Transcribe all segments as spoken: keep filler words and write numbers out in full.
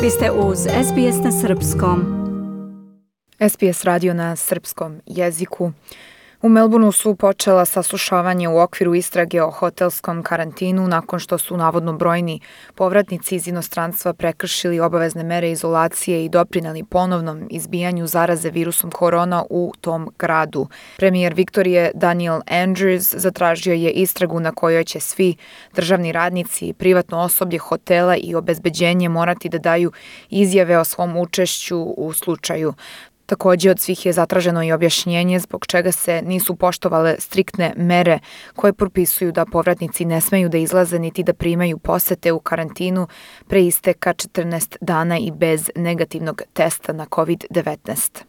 Vi ste uz S B S na srpskom. S B S radio na srpskom jeziku. U Melbourneu su počela saslušavanje u okviru istrage o hotelskom karantinu nakon što su navodno brojni povratnici iz inostranstva prekršili obavezne mere izolacije i doprineli ponovnom izbijanju zaraze virusom korona u tom gradu. Premijer Viktorije Daniel Andrews zatražio je istragu na kojoj će svi državni radnici, privatno osoblje hotela i obezbeđenje morati da daju izjave o svom učešću u slučaju. Također od svih je zatraženo i objašnjenje zbog čega se nisu poštovale striktne mere koje propisuju da povratnici ne smeju da izlaze niti da primaju posete u karantinu pre isteka četrnaest dana i bez negativnog testa na covid devetnaest.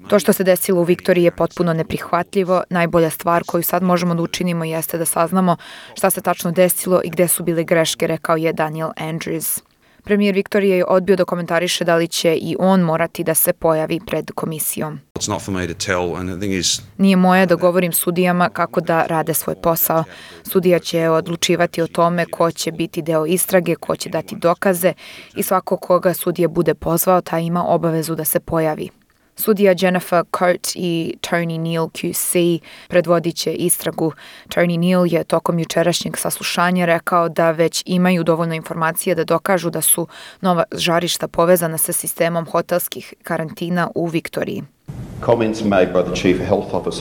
To što se desilo u Viktoriji je potpuno neprihvatljivo. Najbolja stvar koju sad možemo da učinimo jeste da saznamo šta se tačno desilo i gde su bile greške, rekao je Daniel Andrews. Premijer Viktorije je odbio da komentariše da li će i on morati da se pojavi pred komisijom. Nije moje da govorim sudijama kako da rade svoj posao. Sudija će odlučivati o tome ko će biti deo istrage, ko će dati dokaze i svako koga sudija bude pozvao, taj ima obavezu da se pojavi. Sudija Jennifer Coate i Tony Neal Q C predvodit će istragu. Tony Neal je tokom jučerašnjeg saslušanja rekao da već imaju dovoljno informacija da dokažu da su nova žarišta povezana sa sistemom hotelskih karantina u Viktoriji.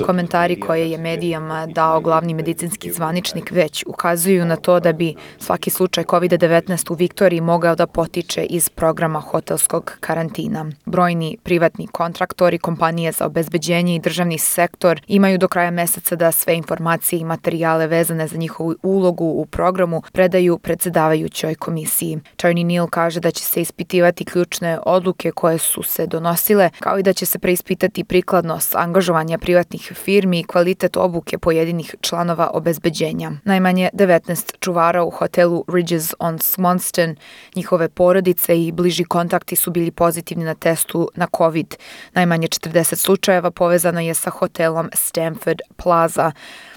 Komentari koje je medijama dao glavni medicinski zvaničnik već ukazuju na to da bi svaki slučaj covid devetnaest u Viktoriji mogao da potiče iz programa hotelskog karantina. Brojni privatni kontraktori, kompanije za obezbeđenje i državni sektor imaju do kraja meseca da sve informacije i materijale vezane za njihovu ulogu u programu predaju predsjedavajućoj komisiji. Tony Neal kaže da će se ispitivati ključne odluke koje su se donosile, kao i da će se preispitati prikladnost angažovanja privatnih firmi i kvalitet obuke pojedinih članova obezbeđenja. Najmanje devetnaest čuvara u hotelu Ridges on Swanston, njihove porodice i bliži kontakti su bili pozitivni na testu na COVID. Najmanje četrdeset slučajeva povezano je sa hotelom Stamford Plaza.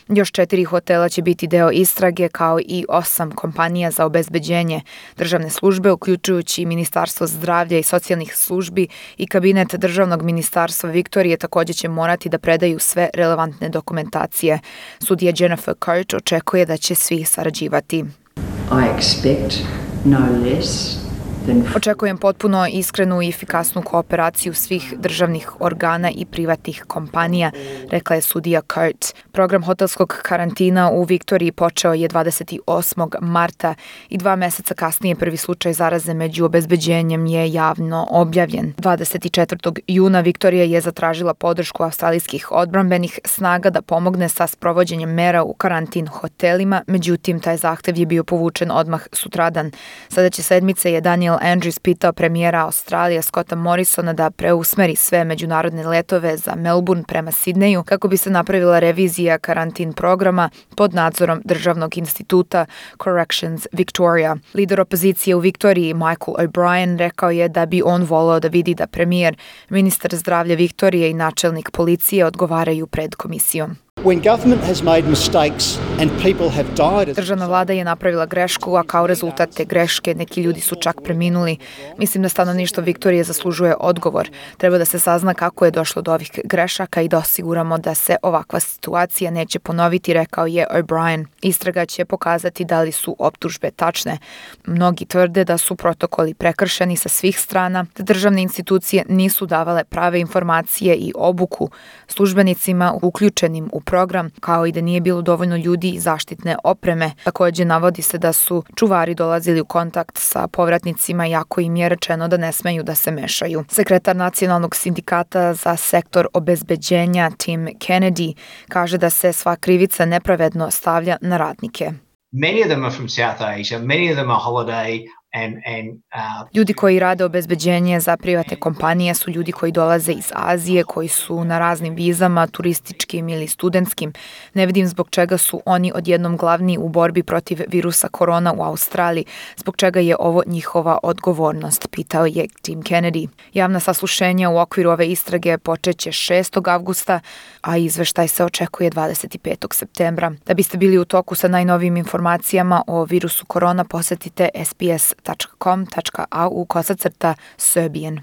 Još četiri hotela će biti deo istrage, kao i osam kompanija za obezbeđenje. Državne službe, uključujući Ministarstvo zdravlja i socijalnih službi i kabinet Državnog ministarstva Viktorije, također će morati da predaju sve relevantne dokumentacije. Sudija Jennifer Coate očekuje da će svi sarađivati. I expect no less. Očekujem potpuno iskrenu i efikasnu kooperaciju svih državnih organa i privatnih kompanija, rekla je sudija Coate. Program hotelskog karantina u Viktoriji počeo je dvadeset osmog marta i dva meseca kasnije prvi slučaj zaraze među obezbeđenjem je javno objavljen. dvadeset četvrtog juna Viktorija je zatražila podršku australijskih odbrambenih snaga da pomogne sa sprovođenjem mera u karantin hotelima, međutim taj zahtev je bio povučen odmah sutradan. Sljedeće sedmice je Daniel Andrews pitao premijera Australije Scotta Morrisona da preusmeri sve međunarodne letove za Melbourne prema Sidneju kako bi se napravila revizija karantin programa pod nadzorom Državnog instituta Corrections Victoria. Lider opozicije u Viktoriji Michael O'Brien rekao je da bi on voleo da vidi da premijer, ministar zdravlja Viktorije i načelnik policije odgovaraju pred komisijom. Državna vlada je napravila grešku, a kao rezultat te greške neki ljudi su čak preminuli. Mislim da stanovništvo Viktorije zaslužuje odgovor. Treba da se sazna kako je došlo do ovih grešaka i da osiguramo da se ovakva situacija neće ponoviti, rekao je O'Brien. Istraga će pokazati da li su optužbe tačne. Mnogi tvrde da su protokoli prekršeni sa svih strana, da državne institucije nisu davale prave informacije i obuku službenicima uključenim u program, kao i da nije bilo dovoljno ljudi i zaštitne opreme. Također navodi se da su čuvari dolazili u kontakt sa povratnicima, iako im je rečeno da ne smeju da se mešaju. Sekretar Nacionalnog sindikata za sektor obezbeđenja Tim Kennedy kaže da se sva krivica nepravedno stavlja na radnike. Many of them are from South Asia, many of them are holiday And, and, uh, Ljudi koji rade obezbeđenje za privatne kompanije su ljudi koji dolaze iz Azije, koji su na raznim vizama, turističkim ili studentskim. Ne vidim zbog čega su oni odjednom glavni u borbi protiv virusa korona u Australiji, zbog čega je ovo njihova odgovornost, pitao je Tim Kennedy. Javna saslušenja u okviru ove istrage počeće šestog avgusta, a izveštaj se očekuje dvadeset petog septembra. Da biste bili u toku sa najnovijim informacijama o virusu korona, posetite S B S tačka com tačka a u kosacrta Serbian.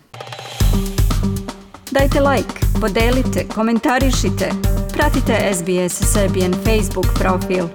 Dajte like, podelite, komentarišite, pratite S B S Serbian Facebook profil.